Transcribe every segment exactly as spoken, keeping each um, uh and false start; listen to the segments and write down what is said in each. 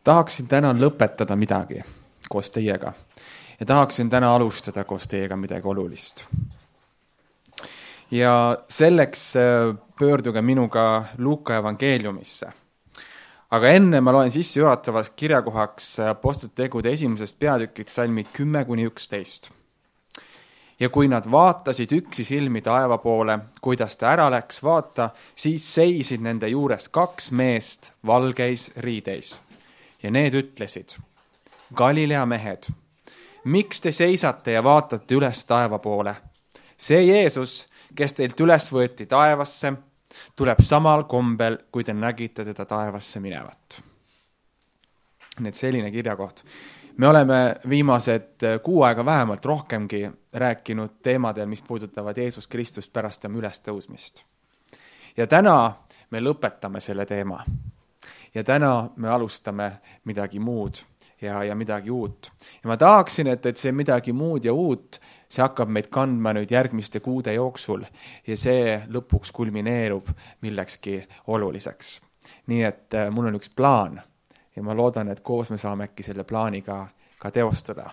Tahaksin täna lõpetada midagi koos teiega ja tahaksin täna alustada koos teiega midagi olulist. Ja selleks pöörduge minuga Luuka evangeeliumisse. Aga enne ma loen sisse juhatavaks kirjakohaks Apostlite tegude esimesest peatükit salmid kümme kuni üksteist. Ja kui nad vaatasid üksi silmi taeva poole, kuidas ta ära läks vaata, siis seisid nende juures kaks meest valgeis riideis. Ja need ütlesid, Galilea mehed, miks te seisate ja vaatate üles taeva poole? See Jeesus, kes teilt üles võeti taevasse, tuleb samal kombel, kui te nägite teda taevasse minevat. Need selline kirjakoht. Me oleme viimased kuu aega vähemalt rohkemgi rääkinud teemadel, mis puudutavad Jeesus Kristust pärast tema ülestõusmist. Ja täna me lõpetame selle teema. Ja täna me alustame midagi muud ja, ja midagi uut. Ja ma tahaksin, et, et see midagi muud ja uut, see hakkab meid kandma nüüd järgmiste kuude jooksul ja see lõpuks kulmineerub millekski oluliseks. Nii et mul on üks plaan ja ma loodan, et koos me saame äkki selle plaaniga ka teostada.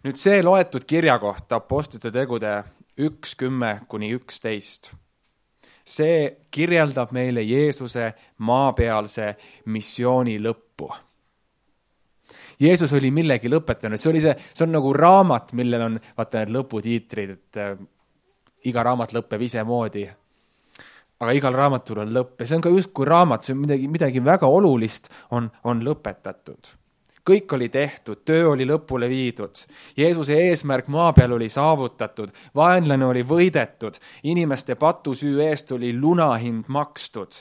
Nüüd see loetud kirjakoht Apostlite tegude üks kümme kuni üksteist. See kirjeldab meile Jeesuse maapealse missiooni lõppu. Jeesus oli millegi lõpetanud. See, oli see, see on nagu raamat, millel on vaata need lõputiitrid, et äh, iga raamat lõpeb ise moodi. Aga igal raamatul on lõpp. Ja see on ka just kui raamat, see on midagi, midagi väga olulist on, on lõpetatud. Kõik oli tehtud, töö oli lõpule viidud. Jeesuse eesmärk maa peal oli saavutatud, vaenlane oli võidetud, inimeste patusüü eest oli lunahind makstud.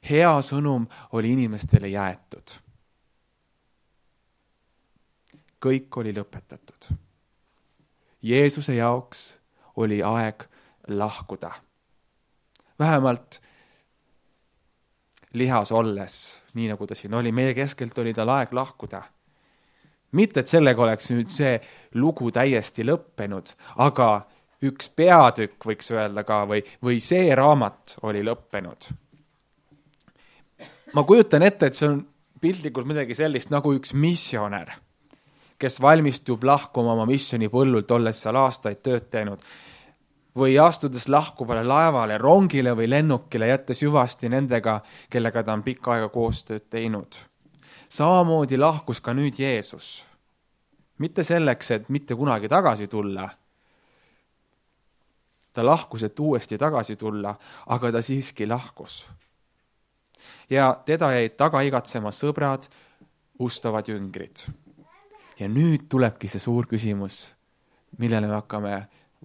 Hea sõnum oli inimestele jäetud. Kõik oli lõpetatud. Jeesuse jaoks oli aeg lahkuda. Vähemalt lihas olles, nii nagu ta siin oli, meie keskelt oli tal aeg lahkuda. Mitte, et sellega oleks nüüd see lugu täiesti lõppenud, aga üks peatükk võiks öelda ka või, või see raamat oli lõppenud. Ma kujutan ette, et see on piltlikult midagi sellist nagu üks missionär, kes valmistub lahkuma oma missiooni põllult, olles seal aastaid tööd teinud, või astudes lahkuvale laevale, rongile või lennukile, jättes hüvasti nendega, kellega ta on pikka aega koostööd teinud. Samamoodi lahkus ka nüüd Jeesus. Mitte selleks, et mitte kunagi tagasi tulla. Ta lahkus, et uuesti tagasi tulla, aga ta siiski lahkus. Ja teda jäid taga igatsema sõbrad, ustavad jüngrid. Ja nüüd tulebki see suur küsimus, millele me hakkame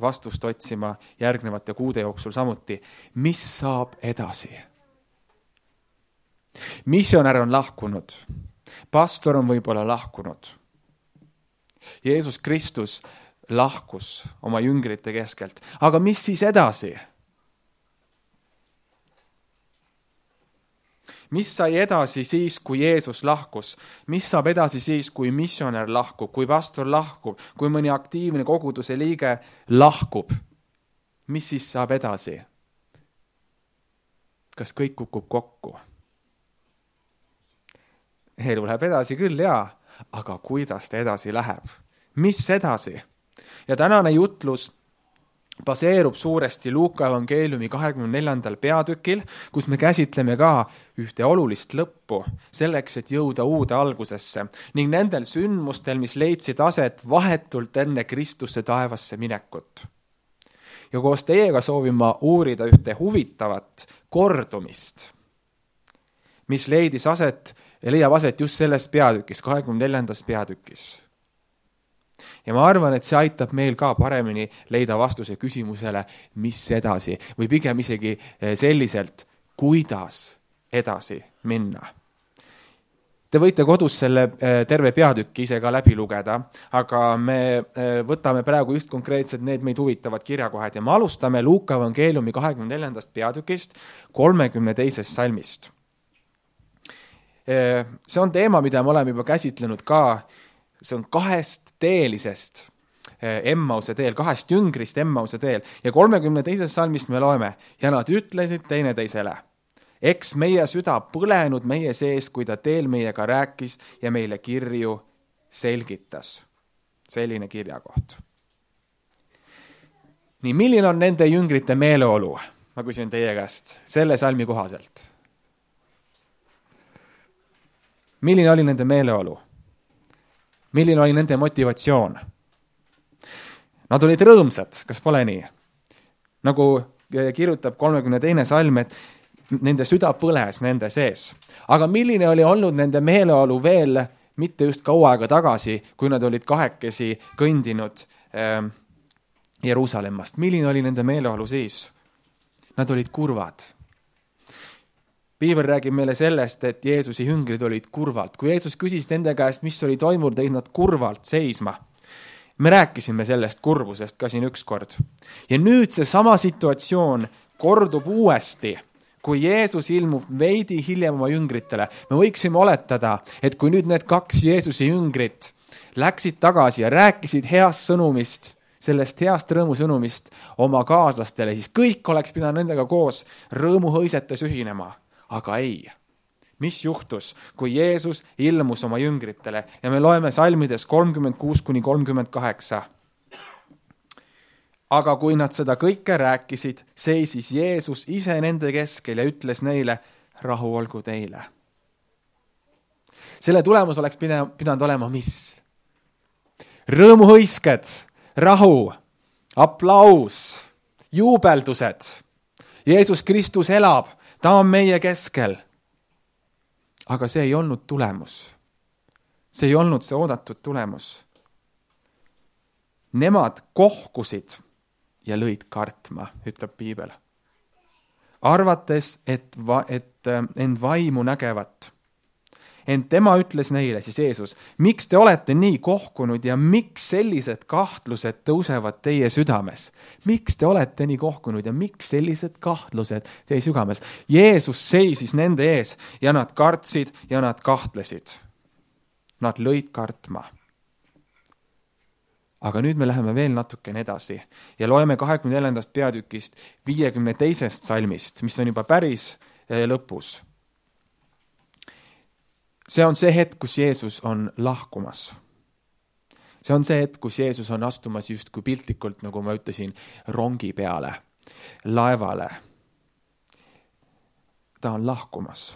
vastust otsima järgnevate kuude jooksul samuti. Mis saab edasi? Missionär on lahkunud. Pastor on võib-olla lahkunud. Jeesus Kristus lahkus oma jüngrite keskelt. Aga mis siis edasi? Mis sai edasi siis, kui Jeesus lahkus? Mis saab edasi siis, kui missionär lahkub, kui pastor lahkub, kui mõni aktiivne koguduse liige lahkub? Mis siis saab edasi? Kas kõik kukub kokku? Elu läheb edasi küll, jaa, aga kuidas ta edasi läheb? Mis edasi? Ja tänane jutlus baseerub suuresti Luuka evangeeliumi kahekümne neljandal peatükil, kus me käsitleme ka ühte olulist lõppu selleks, et jõuda uude algusesse ning nendel sündmustel, mis leidsid aset vahetult enne Kristuse taevasse minekut. Ja koos teiega soovin ma uurida ühte huvitavat kordumist, mis leidis aset ja leiab aset just selles peatükis, kahekümne neljandas peatükis. Ja ma arvan, et see aitab meil ka paremini leida vastuse küsimusele, mis edasi, või pigem isegi selliselt, kuidas edasi minna. Te võite kodus selle terve peatükki ise ka läbi lugeda, aga me võtame praegu just konkreetselt need meid huvitavad kirjakohad ja me alustame Luuka evangeeliumi kahekümne neljandast peatükist kolmekümne teisest salmist. See on teema, mida me oleme juba käsitlenud ka. See on kahest teelisest Emmause teel, kahest jüngrist Emmause teel ja kolmekümne teises salmist me loeme ja nad ütlesid teineteisele. Eks meie süda põlenud meie sees, kui ta teel meiega rääkis ja meile kirju selgitas. Selline kirjakoht. Nii, milline on nende jüngrite meeleolu? Ma küsin teie käest selle salmi kohaselt. Milline oli nende meeleolu? Milline oli nende motivatsioon? Nad olid rõõmsad, kas pole nii? Nagu kirjutab kolmekümne teine salm, et nende süda põles nende sees. Aga milline oli olnud nende meeleolu veel mitte just kaua aega tagasi, kui nad olid kahekesi kõndinud äh, Jeruusalemmast? Milline oli nende meeleolu siis? Nad olid kurvad. Piibel räägib meile sellest, et Jeesuse jüngrid olid kurvalt. Kui Jeesus küsis nende käest, mis oli toimunud, tõid nad kurvalt seisma. Me rääkisime sellest kurbusest ka siin ükskord. Ja nüüd see sama situatsioon kordub uuesti, kui Jeesus ilmub veidi hiljem oma jüngritele. Me võiksime oletada, et kui nüüd need kaks Jeesuse jüngrit läksid tagasi ja rääkisid heast sõnumist, sellest heast rõõmusõnumist oma kaaslastele, siis kõik oleks pidanud nendega koos rõõmuhõisetes ühinema. Aga ei. Mis juhtus, kui Jeesus ilmus oma jüngritele? Ja me loeme salmides kolmkümmend kuus kuni kolmkümmend kaheksa. Aga kui nad seda kõike rääkisid, seisis Jeesus ise nende keskel ja ütles neile, rahu olgu teile. Selle tulemus oleks pidanud olema mis? Rõõmuhõisked, rahu, aplaus, juubeldused. Jeesus Kristus elab, ta on meie keskel. Aga see ei olnud tulemus. See ei olnud see oodatud tulemus. Nemad kohkusid ja lõid kartma, ütleb Piibel. Arvates, et, va, et end vaimu nägevat. Ent tema ütles neile, siis Jeesus, miks te olete nii kohkunud ja miks sellised kahtlused tõusevad teie südames? Miks te olete nii kohkunud ja miks sellised kahtlused teie südames? Jeesus seisis nende ees ja nad kartsid ja nad kahtlesid. Nad lõid kartma. Aga nüüd me läheme veel natukene edasi ja loeme kahekümne neljandast peatükist viiekümne teisest salmist, mis on juba päris lõpus. See on see hetk, kus Jeesus on lahkumas. See on see hetk, kus Jeesus on astumas just kui piltlikult, nagu ma ütlesin, rongi peale, laevale. Ta on lahkumas.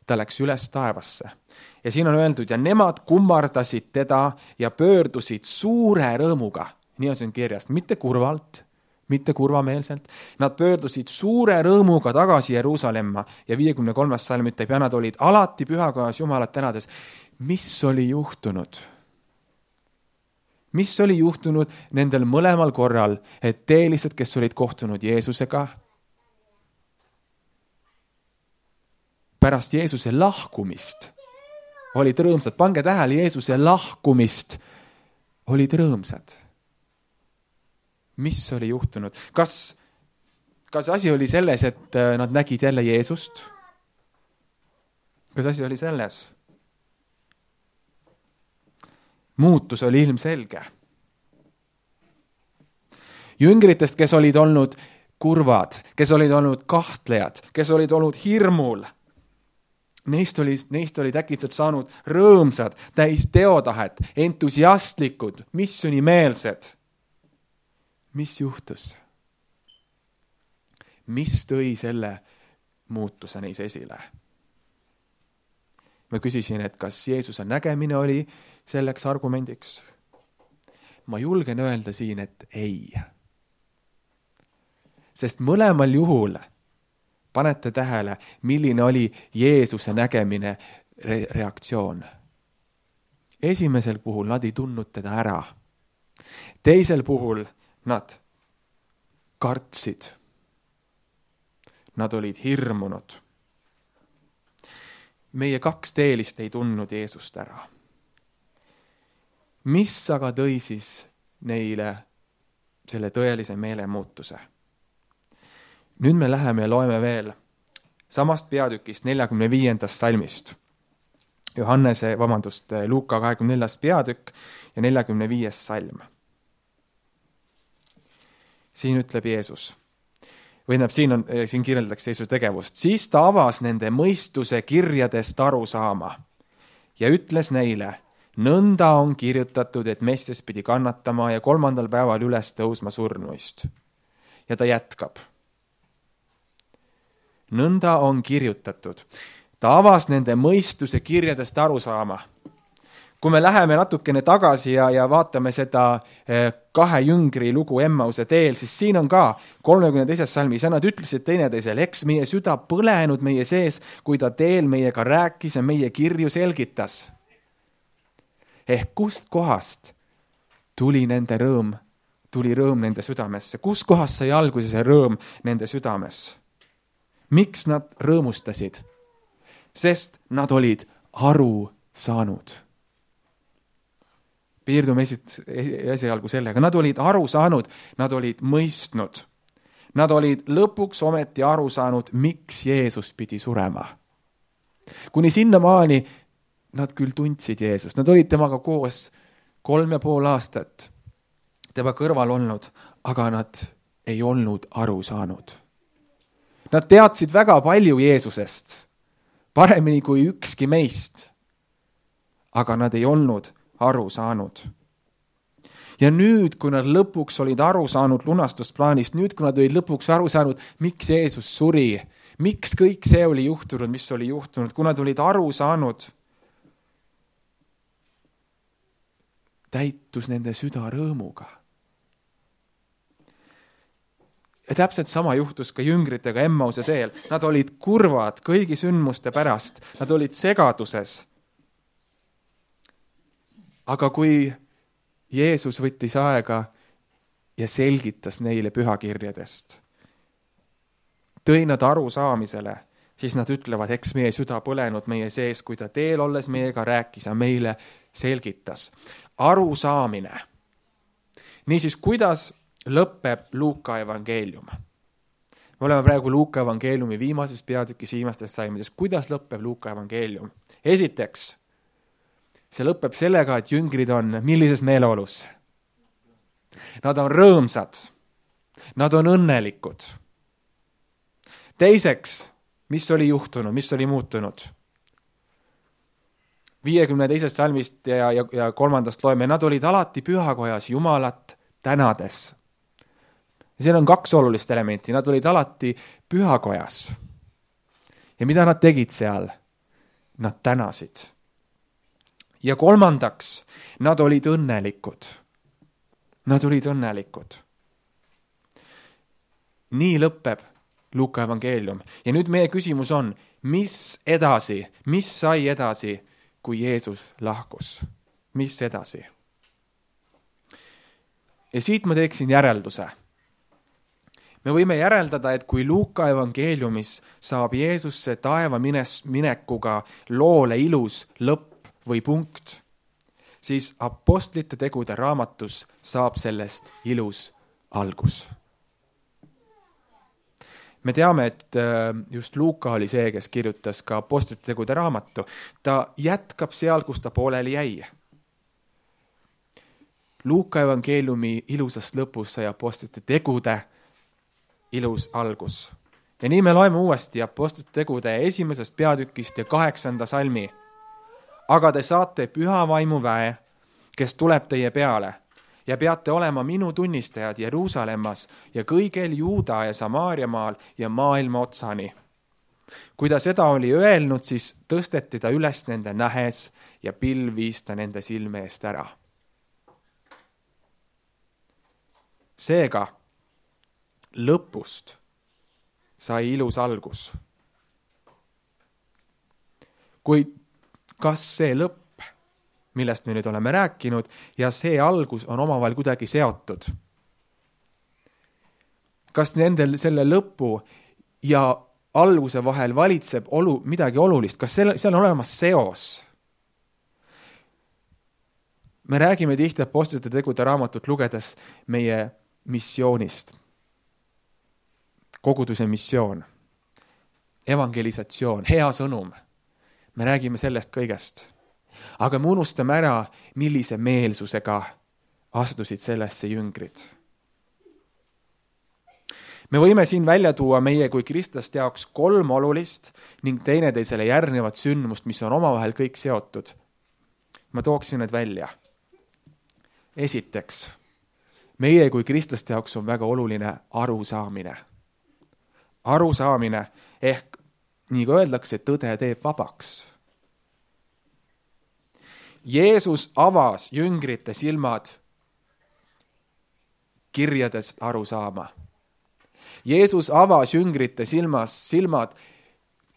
Ta läks üles taevasse. Ja siin on öeldud, ja nemad kummardasid teda ja pöördusid suure rõõmuga. Nii on siin kirjast, mitte kurvalt, mitte kurvameelselt. Nad pöördusid suure rõõmuga tagasi Jeruusalemma ja viiekümne kolmas salm ütleb, ja nad olid alati pühakojas Jumalat tänades. Mis oli juhtunud? Mis oli juhtunud nendel mõlemal korral, et teelised, kes olid kohtunud Jeesusega, pärast Jeesuse lahkumist olid rõõmsad. Pange tähele, Jeesuse lahkumist olid rõõmsad. Mis oli juhtunud? Kas, kas asi oli selles, et nad nägid jälle Jeesust? Kas asi oli selles? Muutus oli ilmselge. Jüngritest, kes olid olnud kurvad, kes olid olnud kahtlejad, kes olid olnud hirmul, neist oli, neist olid äkitselt saanud rõõmsad, täis teotahet, entusiastlikud, missioonimeelsed. Mis juhtus? Mis tõi selle muutuse neis esile? Ma küsisin, et kas Jeesuse nägemine oli selleks argumendiks? Ma julgen öelda siin, et ei. Sest mõlemal juhul panete tähele, milline oli Jeesuse nägemine re- reaktsioon. Esimesel puhul nad ei tundnud teda ära. Teisel puhul nad kartsid. Nad olid hirmunud. Meie kaks teelist ei tundnud Jeesust ära. Mis aga tõi siis neile selle tõelise meelemuutuse? Nüüd me läheme ja loeme veel samast peatükist neljakümne viiendast salmist. Johannese, vabandust, Luuka kahekümne neljandast peatükk ja neljakümne viies salm. Siin ütleb Jeesus. või näeb, siin on, siin kirjeldatakse Jeesuse tegevust. Siis ta avas nende mõistuse kirjadest aru saama ja ütles neile, nõnda on kirjutatud, et Messias pidi kannatama ja kolmandal päeval üles tõusma surnuist. Ja ta jätkab. Nõnda on kirjutatud. Ta avas nende mõistuse kirjadest aru saama. Kui me läheme natukene tagasi ja, ja vaatame seda kahe jüngri lugu Emmause teel, siis siin on ka kolmekümne teises salmis ja nad ütlesid teineteisele, eks meie süda põlenud meie sees, kui ta teel meiega rääkis ja meie kirju selgitas. Ehk kust kohast tuli nende rõõm, tuli rõõm nende südamesse? Kust kohast sai alguse see rõõm nende südames? Miks nad rõõmustasid? Sest nad olid aru saanud. Piirdume esialgu sellega. Nad olid aru saanud, nad olid mõistnud. Nad olid lõpuks ometi aru saanud, miks Jeesus pidi surema. Kuni sinnamaani nad küll tundsid Jeesust. Nad olid temaga koos kolm ja pool aastat tema kõrval olnud, aga nad ei olnud aru saanud. Nad teadsid väga palju Jeesusest, paremini kui ükski meist, aga nad ei olnud aru saanud. Ja nüüd, kui nad lõpuks olid aru saanud lunastusplaanist, nüüd, kui nad olid lõpuks aru saanud, miks Jeesus suri, miks kõik see oli juhtunud, mis oli juhtunud, kui nad olid aru saanud, täitus nende süda rõõmuga. Ja täpselt sama juhtus ka jüngritega Emmause teel. Nad olid kurvad kõigi sündmuste pärast, nad olid segaduses. Aga kui Jeesus võttis aega ja selgitas neile pühakirjadest, tõi nad aru saamisele, siis nad ütlevad, eks meie süda põlenud meie sees, kui ta teel olles meiega rääkis ja meile selgitas. Aru saamine. Niisiis, kuidas lõpeb Luuka evangeelium? Me oleme praegu Luuka evangeeliumi viimases peatükis viimastes salmides. Kuidas lõpeb Luuka evangeelium? Esiteks, see lõpeb sellega, et jüngrid on millises meeleolus? Nad on rõõmsad. Nad on õnnelikud. Teiseks, mis oli juhtunud, mis oli muutunud? viiekümne teisest salmist ja, ja, ja kolmandast loeme, nad olid alati pühakojas Jumalat tänades. Ja siin on kaks olulist elementi, nad olid alati pühakojas. Ja mida nad tegid seal? Nad tänasid. Ja kolmandaks, nad olid õnnelikud. Nad olid õnnelikud. Nii lõpeb Luuka evangeelium. Ja nüüd meie küsimus on, mis edasi, mis sai edasi, kui Jeesus lahkus? Mis edasi? Ja siit ma teeksin järelduse. Me võime järeldada, et kui Luuka evangeeliumis saab Jeesusse taeva minekuga loole ilus lõpp või punkt, siis apostlite tegude raamatus saab sellest ilus algus. Me teame, et just Luuka oli see, kes kirjutas ka apostlite tegude raamatu. Ta jätkab seal, kus ta pooleli jäi. Luuka evangeeliumi ilusast lõpus sai apostlite tegude ilus algus. Ja nii me loeme uuesti apostlite tegude esimesest peatükist ja kaheksanda salmi. Aga te saate püha vaimu väe, kes tuleb teie peale, ja peate olema minu tunnistajad Jeruusalemmas ja kõigel Juuda ja Samaaria maal ja maailma otsani. Kui ta seda oli öelnud, siis tõsteti ta üles nende nähes ja pilv viis ta nende silme eest ära. Seega, lõpust sai ilus algus. Kuid kas see lõpp, millest me nüüd oleme rääkinud, ja see algus on omavahel kuidagi seotud? Kas nendel selle lõpu ja alguse vahel valitseb olu, midagi olulist? Kas seal, seal on olemas seos? Me räägime tihti apostlite tegude raamatut lugedes meie missioonist. Koguduse missioon, evangelisatsioon, hea sõnum. Me räägime sellest kõigest. Aga me unustame ära, millise meelsusega astusid sellesse jüngrid. me võime siin välja tuua meie kui kristlaste jaoks kolm olulist ning teineteisele järgnevat sündmust, mis on omavahel kõik seotud. Ma tooksin need välja. Esiteks, meie kui kristlaste jaoks on väga oluline arusaamine. Arusaamine ehk, nii kui öeldakse, tõde teeb vabaks. Jeesus avas jüngrite silmad kirjadest aru saama. Jeesus avas jüngrite silmas, silmad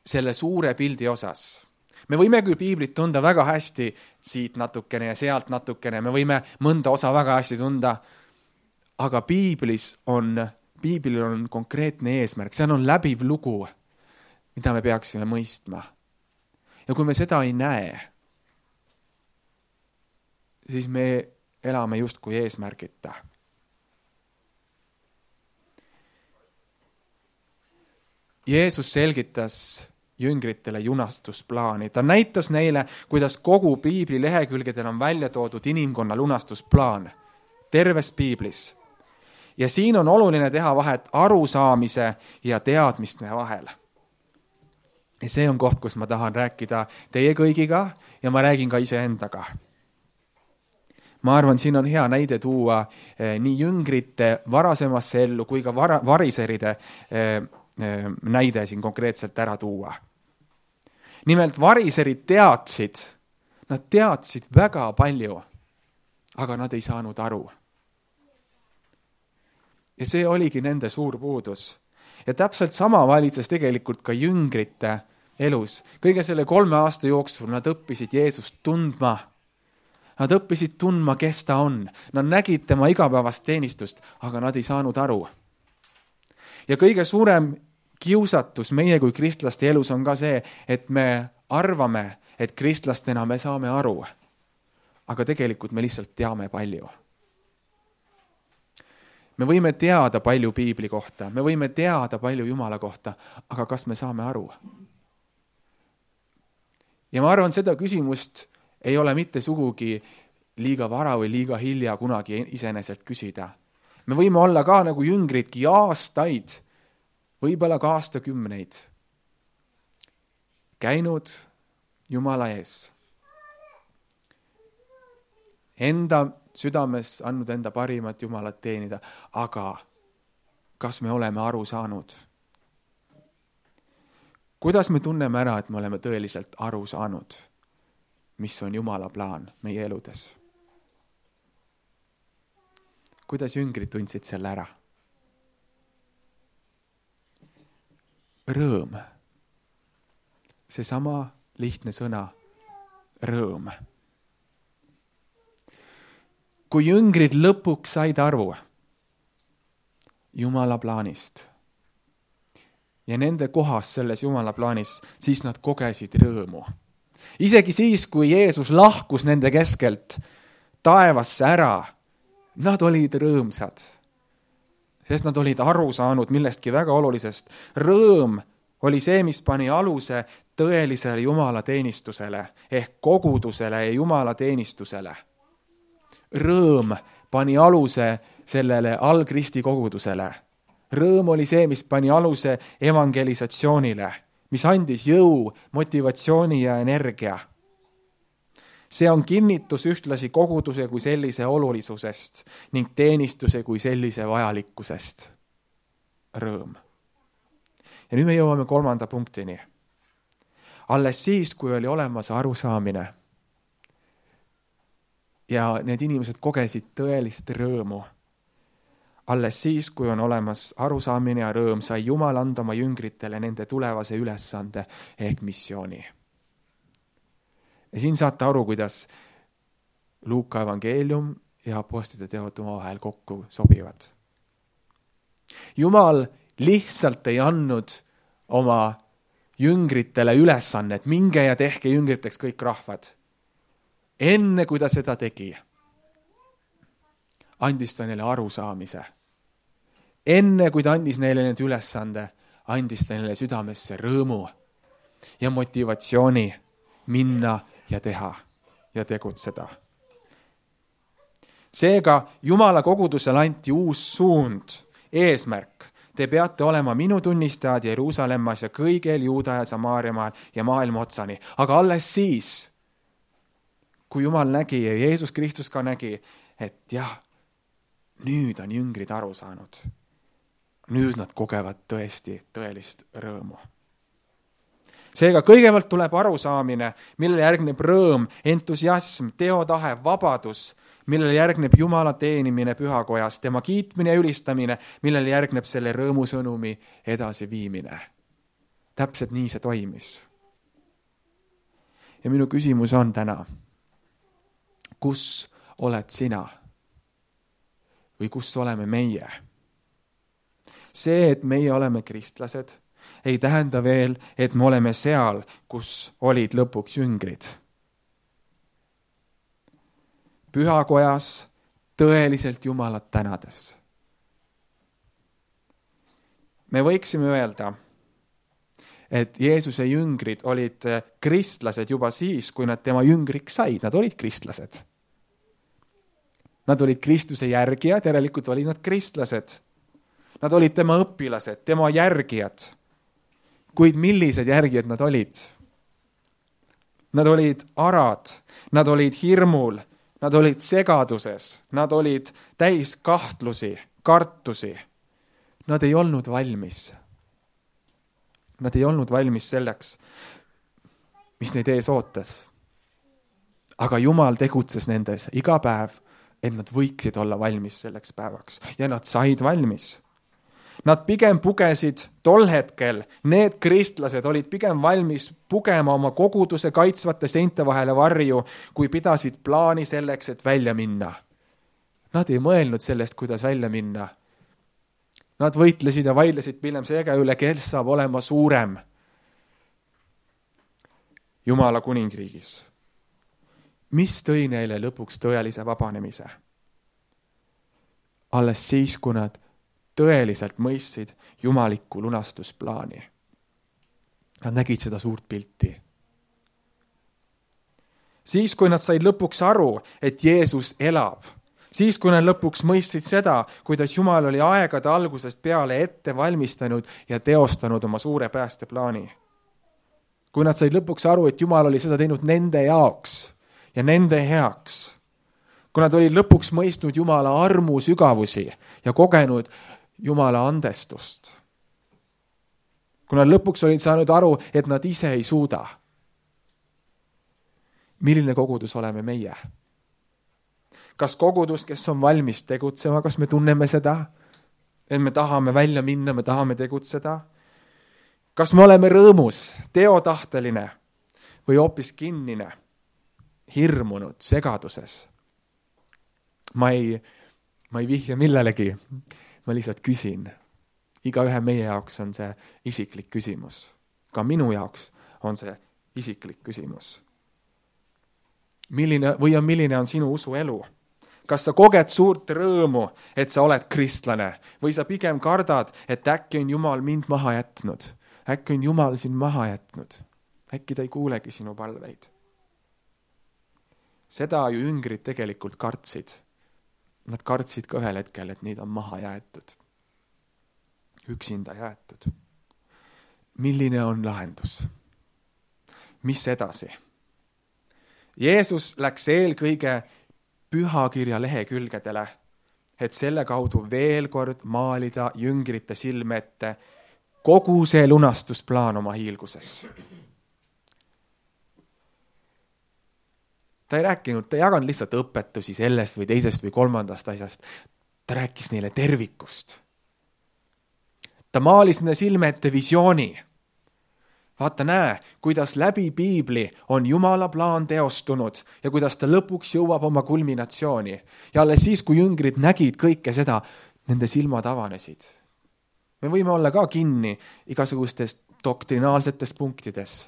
selle suure pildi osas. Me võime küll piiblit tunda väga hästi siit natukene ja sealt natukene, me võime mõnda osa väga hästi tunda, aga piiblis on, piiblil on konkreetne eesmärk, see on läbiv lugu, mida me peaksime mõistma. Ja kui me seda ei näe, siis me elame justkui eesmärgita. Jeesus selgitas jüngritele lunastusplaani. Ta näitas neile, kuidas kogu piibli lehekülgedel on välja toodud inimkonna lunastusplaan terves piiblis. Ja siin on oluline teha vahet arusaamise ja teadmiste vahel. Ja see on koht, kus ma tahan rääkida teie kõigiga ja ma räägin ka iseendaga. Ma arvan, siin on hea näide tuua eh, nii jüngrite varasemasse ellu kui ka var- variseride eh, näide siin konkreetselt ära tuua. Nimelt variserid teadsid, nad teadsid väga palju, aga nad ei saanud aru. Ja see oligi nende suur puudus. Ja täpselt sama valitses tegelikult ka jüngrite elus. Kõige selle kolme aasta jooksul nad õppisid Jeesust tundma. Nad õppisid tundma, kes ta on. Nad nägid tema igapäevast teenistust, aga nad ei saanud aru. Ja kõige suurem kiusatus meie kui kristlaste elus on ka see, et me arvame, et kristlastena me saame aru, aga tegelikult me lihtsalt teame palju. Me võime teada palju piibli kohta, me võime teada palju Jumala kohta, aga kas me saame aru? Ja ma arvan, seda küsimust ei ole mitte sugugi liiga vara või liiga hilja kunagi iseenesest küsida. Me võime olla ka nagu jüngridki aastaid, võib-olla ka aastakümneid käinud Jumala ees. Enda südames andnud enda parimat Jumalat teenida, aga kas me oleme aru saanud? Kuidas me tunneme ära, et me oleme tõeliselt aru saanud, mis on Jumala plaan meie eludes? Kuidas jüngrid tundsid selle ära? Rõõm. Seesama lihtne sõna, rõõm. Kui jüngrid lõpuks said aru Jumala plaanist ja nende kohas selles Jumala plaanis, siis nad kogesid rõõmu. Isegi siis, kui Jeesus lahkus nende keskelt taevasse ära, nad olid rõõmsad. Sest nad olid aru saanud millestki väga olulisest. Rõõm oli see, mis pani aluse tõelisele Jumala teenistusele ehk kogudusele ja Jumala teenistusele. Rõõm pani aluse sellele algristi kogudusele. Rõõm oli see, mis pani aluse evangelisatsioonile, mis andis jõu, motivatsiooni ja energia. See on kinnitus ühtlasi koguduse kui sellise olulisusest ning teenistuse kui sellise vajalikkusest. Rõõm. Ja nüüd me jõuame kolmanda punktini. Alles siis, kui oli olemas arusaamine ja need inimesed kogesid tõelist rõõmu, alles siis, kui on olemas arusaamine ja rõõm, sai Jumal anda oma jüngritele nende tulevase ülesande ehk missiooni. Ja siin saate aru, kuidas Luuka evangeelium ja apostlite teod omavahel kokku sobivad. Jumal lihtsalt ei andnud oma jüngritele ülesannet, minge ja tehke jüngriteks kõik rahvad. Enne kui ta seda tegi, andis ta neile arusaamise. Enne kui ta andis neile need ülesande, andis ta neile südamesse rõõmu ja motivatsiooni minna ja teha ja tegutseda. Seega Jumala kogudusele anti uus suund, eesmärk. te peate olema minu tunnistajad Jeruusalemmas ja kõigel Juuda ja Samaariamaal ja maailma otsani. Aga alles siis, kui Jumal nägi ja Jeesus Kristus ka nägi, et jah, nüüd on jüngrid aru saanud. Nüüd nad kogevad tõesti tõelist rõõmu. Seega kõigepealt tuleb arusaamine, millele järgneb rõõm, entusiasm, teotahe, vabadus, millele järgneb Jumala teenimine pühakojas, tema kiitmine ja ülistamine, millele järgneb selle rõõmusõnumi edasiviimine. Täpselt nii see toimis. Ja minu küsimus on täna, kus oled sina? Või kus oleme meie? See, et meie oleme kristlased, ei tähenda veel, et me oleme seal, kus olid lõpuks jüngrid. Pühakojas tõeliselt Jumalat tänades. Me võiksime öelda, et Jeesuse jüngrid olid kristlased juba siis, kui nad tema jüngriks said. Nad olid kristlased. Nad olid Kristuse järgijad, järelikult olid nad kristlased. Nad olid tema õpilased, tema järgijad. Kuid millised järgijad nad olid? Nad olid arad, nad olid hirmul, nad olid segaduses, nad olid täis kahtlusi, kartusi. Nad ei olnud valmis. Nad ei olnud valmis selleks, mis neid ees ootas. Aga Jumal tegutses nendes iga päev, et nad võiksid olla valmis selleks päevaks. Ja nad said valmis. Nad pigem pugesid tol hetkel, need kristlased olid pigem valmis pugema oma koguduse kaitsvate seinte vahele varju, kui pidasid plaani selleks, et välja minna. Nad ei mõelnud sellest, kuidas välja minna. Nad võitlesid ja vaidlesid pilem seega üle, kes saab olema suurem Jumala kuningriigis. Mis tõi neile lõpuks tõelise vabanemise? Alles siis, kui nad tõeliselt mõistsid jumalikku lunastusplaani. Nad nägid seda suurt pilti. Siis, kui nad said lõpuks aru, et Jeesus elab, siis, kui nad lõpuks mõistsid seda, kuidas Jumal oli aegade algusest peale ette valmistanud ja teostanud oma suure päästeplaani. Kui nad said lõpuks aru, et Jumal oli seda teinud nende jaoks ja nende heaks, kui nad olid lõpuks mõistnud Jumala armu sügavusi ja kogenud Jumala andestust. Kui nad lõpuks olid saanud aru, et nad ise ei suuda. Milline kogudus oleme meie? Kas kogudus, kes on valmis tegutsema, kas me tunneme seda, et me tahame välja minna, me tahame tegutseda? Kas me oleme rõõmus, teotahteline või hoopis kinnine, hirmunud, segaduses? Ma ei, ma ei vihja millelegi. Ma lihtsalt küsin. Iga ühe meie jaoks on see isiklik küsimus. Ka minu jaoks on see isiklik küsimus. Milline, või on milline on sinu usuelu? Kas sa koged suurt rõõmu, et sa oled kristlane? Või sa pigem kardad, et äkki on Jumal mind maha jätnud? Äkki on Jumal sind maha jätnud? Äkki ta ei kuulegi sinu palveid? Seda ju jüngrid tegelikult kartsid. Nad kartsid ka ühel hetkel, et neid on maha jäetud. Üksinda jäetud. Milline on lahendus? Mis edasi? Jeesus läks eelkõige pühakirja lehekülgedele, et selle kaudu veel kord maalida jüngrite silme ette kogu see lunastusplaan oma hiilguses. Ta ei rääkinud, ta ei jaganud lihtsalt õpetusi sellest või teisest või kolmandast asjast. Ta rääkis neile tervikust. Ta maalis nende silme ette visiooni. Vaata, näe, kuidas läbi Piibli on Jumala plaan teostunud ja kuidas ta lõpuks jõuab oma kulminatsiooni. Ja alles siis, kui jüngrid nägid kõike seda, nende silmad avanesid. Me võime olla ka kinni igasugustest doktrinaalsetest punktides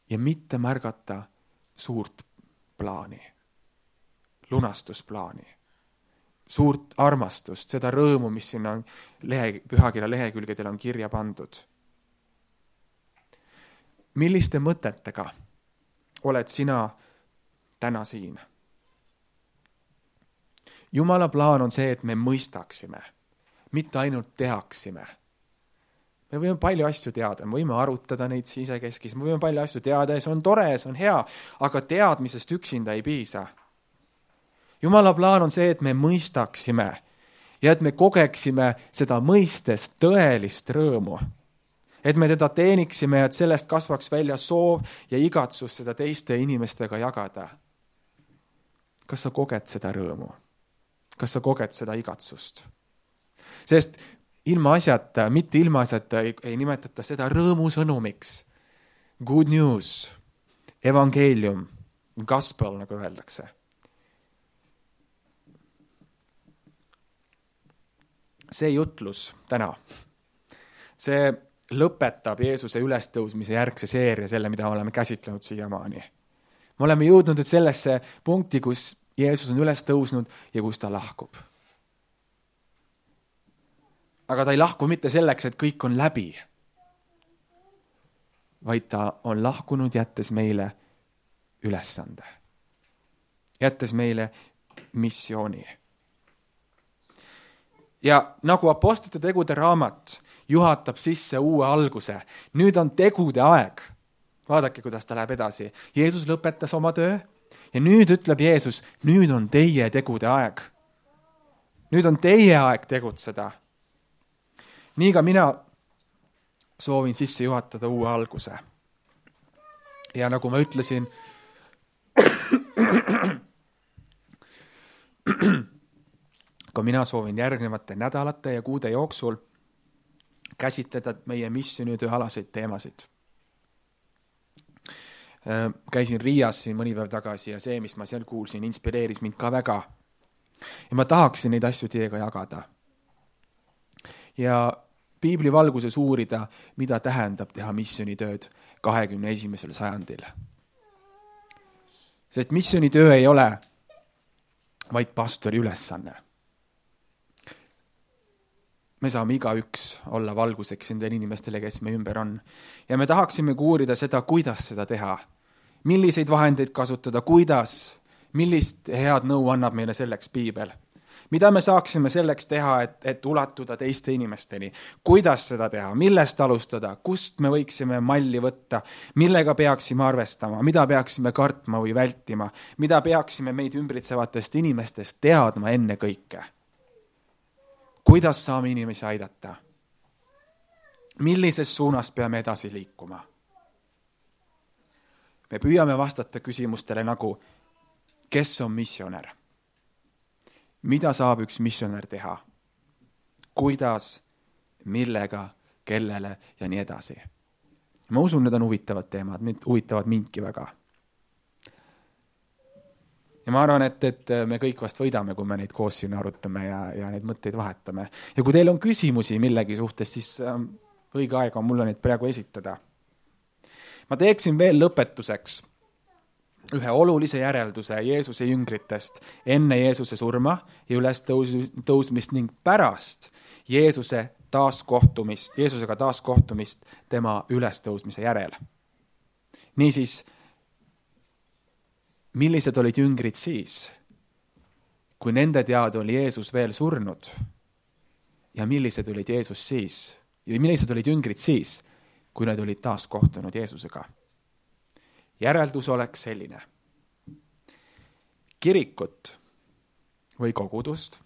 ja mitte märgata suurt plaani, lunastusplaani, suurt armastust, seda rõõmu, mis sinna lehe, pühakirja lehekülgedel on kirja pandud. Milliste mõtetega oled sina täna siin? Jumala plaan on see, et me mõistaksime, mitte ainult teaksime. Me võime palju asju teada, me võime arutada neid sisekeskis, me võime palju asju teada ja see on tore, see on hea, aga teadmisest üksinda ei piisa. Jumala plaan on see, et me mõistaksime ja et me kogeksime seda mõistest tõelist rõõmu. Et me teda teeniksime ja et sellest kasvaks välja soov ja igatsus seda teiste inimestega jagada. Kas sa koged seda rõõmu? Kas sa koged seda igatsust? Sest ilma asjata, mitte ilma asjata ei, ei nimetata seda rõõmusõnumiks. Good news, evangeelium, gospel, nagu öeldakse. See jutlus täna, see lõpetab Jeesuse ülestõusmise järgse seeria, selle, mida oleme käsitlenud siiamaani. Me oleme jõudnud nüüd sellesse punkti, kus Jeesus on üles tõusnud ja kus ta lahkub. Aga ta ei lahku mitte selleks, et kõik on läbi, vaid ta on lahkunud, jättes meile ülesande. Jättes meile missiooni. Ja nagu apostlite tegude raamat juhatab sisse uue alguse, nüüd on tegude aeg. Vaadake, kuidas ta läheb edasi. Jeesus lõpetas oma töö ja nüüd ütleb Jeesus, nüüd on teie tegude aeg. Nüüd on teie aeg tegutseda. Nii ka mina soovin sisse juhatada uue alguse. Ja nagu ma ütlesin, ka mina soovin järgnevate nädalate ja kuude jooksul käsitleda meie missioonitööalaseid teemasid. Käisin Riias siin mõni päev tagasi ja see, mis ma seal kuulsin, inspireeris mind ka väga. Ja ma tahaksin neid asju teiega jagada. Ja Piibli valguses uurida, mida tähendab teha missioonitööd kahekümne esimesel sajandil. Sest missioonitöö ei ole vaid pastori ülesanne. Me saame igaüks olla valguseks nendele inimestele, kes me ümber on. Ja me tahaksime uurida seda, kuidas seda teha. Milliseid vahendeid kasutada, kuidas, millist head nõu annab meile selleks Piibel. Mida me saaksime selleks teha, et, et ulatuda teiste inimesteni? Kuidas seda teha? Millest alustada? Kust me võiksime malli võtta? Millega peaksime arvestama? Mida peaksime kartma või vältima? Mida peaksime meid ümbritsevatest inimestest teadma enne kõike? Kuidas saame inimesi aidata? Millises suunas peame edasi liikuma? Me püüame vastata küsimustele nagu, kes on missionär? Mida saab üks missionär teha? Kuidas, millega, kellele ja nii edasi. Ma usun, need on huvitavad teemad, need huvitavad mindki väga. Ja ma arvan, et, et me kõik vast võidame, kui me neid koos siin arutame ja, ja neid mõtteid vahetame. Ja kui teil on küsimusi millegi suhtes, siis ähm, õige aeg on mulle neid praegu esitada. Ma teeksin veel lõpetuseks ühe olulise järelduse Jeesuse jüngritest enne Jeesuse surma ja üles tõusmist ning pärast Jeesuse taaskohtumist, Jeesusega taaskohtumist tema ülestõusmise järel. Niisiis, millised olid jüngrid siis, kui nende teada oli Jeesus veel surnud? Ja millised olid Jeesus siis? Ja millised olid jüngrid siis, kui nad olid taaskohtunud Jeesusega? Järeldus oleks selline. Kirikut või kogudust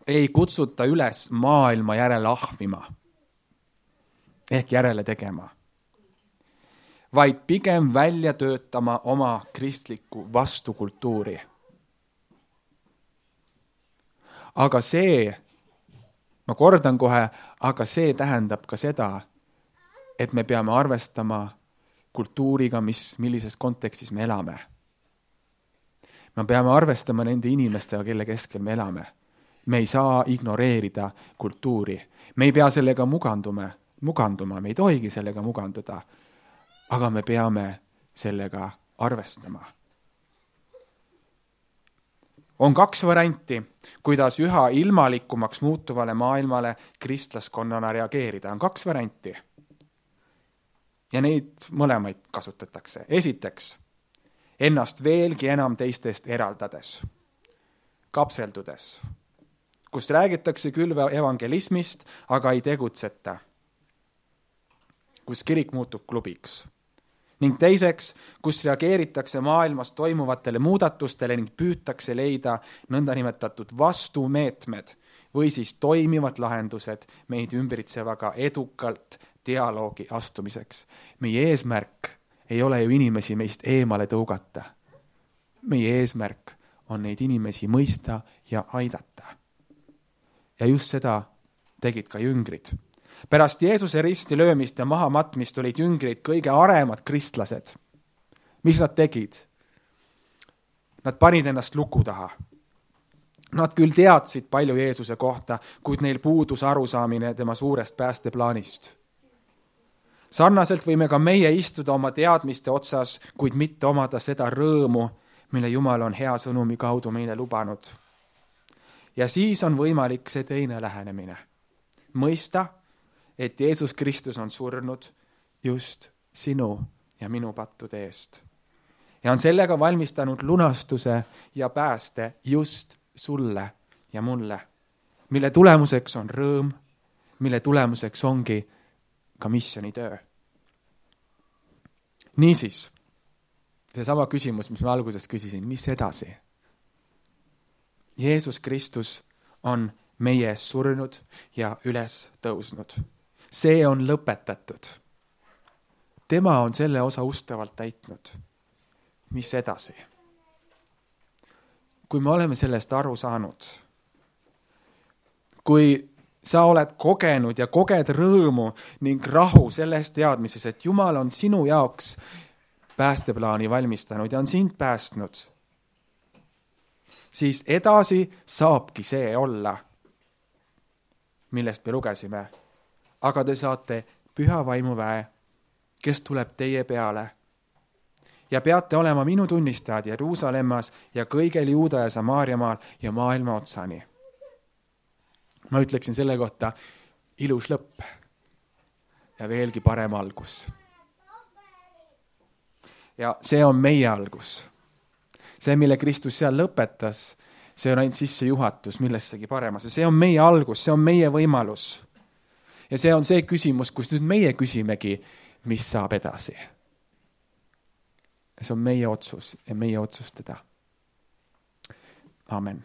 ei kutsuta üles maailma järele ahvima ehk järele tegema, vaid pigem välja töötama oma kristlikku vastukultuuri. Aga see, ma kordan kohe, aga see tähendab ka seda, et me peame arvestama kultuuriga, mis, millises kontekstis me elame. Me peame arvestama nende inimestega, kelle keskel me elame. Me ei saa ignoreerida kultuuri. Me ei pea sellega muganduma, muganduma, me ei tohigi sellega muganduda, aga me peame sellega arvestama. On kaks varianti, kuidas üha ilmalikumaks muutuvale maailmale kristlaskonnana reageerida. On kaks varianti. Ja neid mõlemaid kasutatakse. Esiteks, ennast veelgi enam teistest eraldades, kapseldudes, kust räägitakse küll evangelismist, aga ei tegutseta. Kus kirik muutub klubiks. Ning teiseks, kus reageeritakse maailmas toimuvatele muudatustele ning püütakse leida nõndanimetatud vastumeetmed või siis toimivad lahendused meid ümbritsevaga edukalt dialoogi astumiseks. Meie eesmärk ei ole ju inimesi meist eemale tõugata. Meie eesmärk on neid inimesi mõista ja aidata. Ja just seda tegid ka jüngrid. Pärast Jeesuse risti löömist ja mahamatmist olid jüngrid kõige aremad kristlased. Mis nad tegid? Nad panid ennast luku taha. Nad küll teadsid palju Jeesuse kohta, kuid neil puudus arusaamine tema suurest päästeplaanist. Sarnaselt võime ka meie istuda oma teadmiste otsas, kuid mitte omada seda rõõmu, mille Jumal on hea sõnumi kaudu meile lubanud. Ja siis on võimalik see teine lähenemine. Mõista, et Jeesus Kristus on surnud just sinu ja minu pattude eest. Ja on sellega valmistanud lunastuse ja pääste just sulle ja mulle, mille tulemuseks on rõõm, mille tulemuseks ongi ka missioonitöö. Niisiis, see sama küsimus, mis ma alguses küsisin, mis edasi? Jeesus Kristus on meie ees surnud ja üles tõusnud. See on lõpetatud. Tema on selle osa ustavalt täitnud. Mis edasi? Kui me oleme sellest aru saanud, kui sa oled kogenud ja koged rõõmu ning rahu selles teadmises, et Jumal on sinu jaoks päästeplaani valmistanud ja on sind päästnud, siis edasi saabki see olla, millest me lugesime. Aga te saate püha vaimuväe, kes tuleb teie peale ja peate olema minu tunnistajad Jeruusalemmas ja kõigel Juuda ja Samaariamaal ja maailma otsani. Ma ütleksin selle kohta ilus lõpp ja veelgi parem algus. Ja see on meie algus. See, mille Kristus seal lõpetas, see on ainult sissejuhatus millessegi paremasse. See on meie algus, see on meie võimalus. Ja see on see küsimus, kus nüüd meie küsimegi, mis saab edasi. See on meie otsus ja meie otsustada. Amen.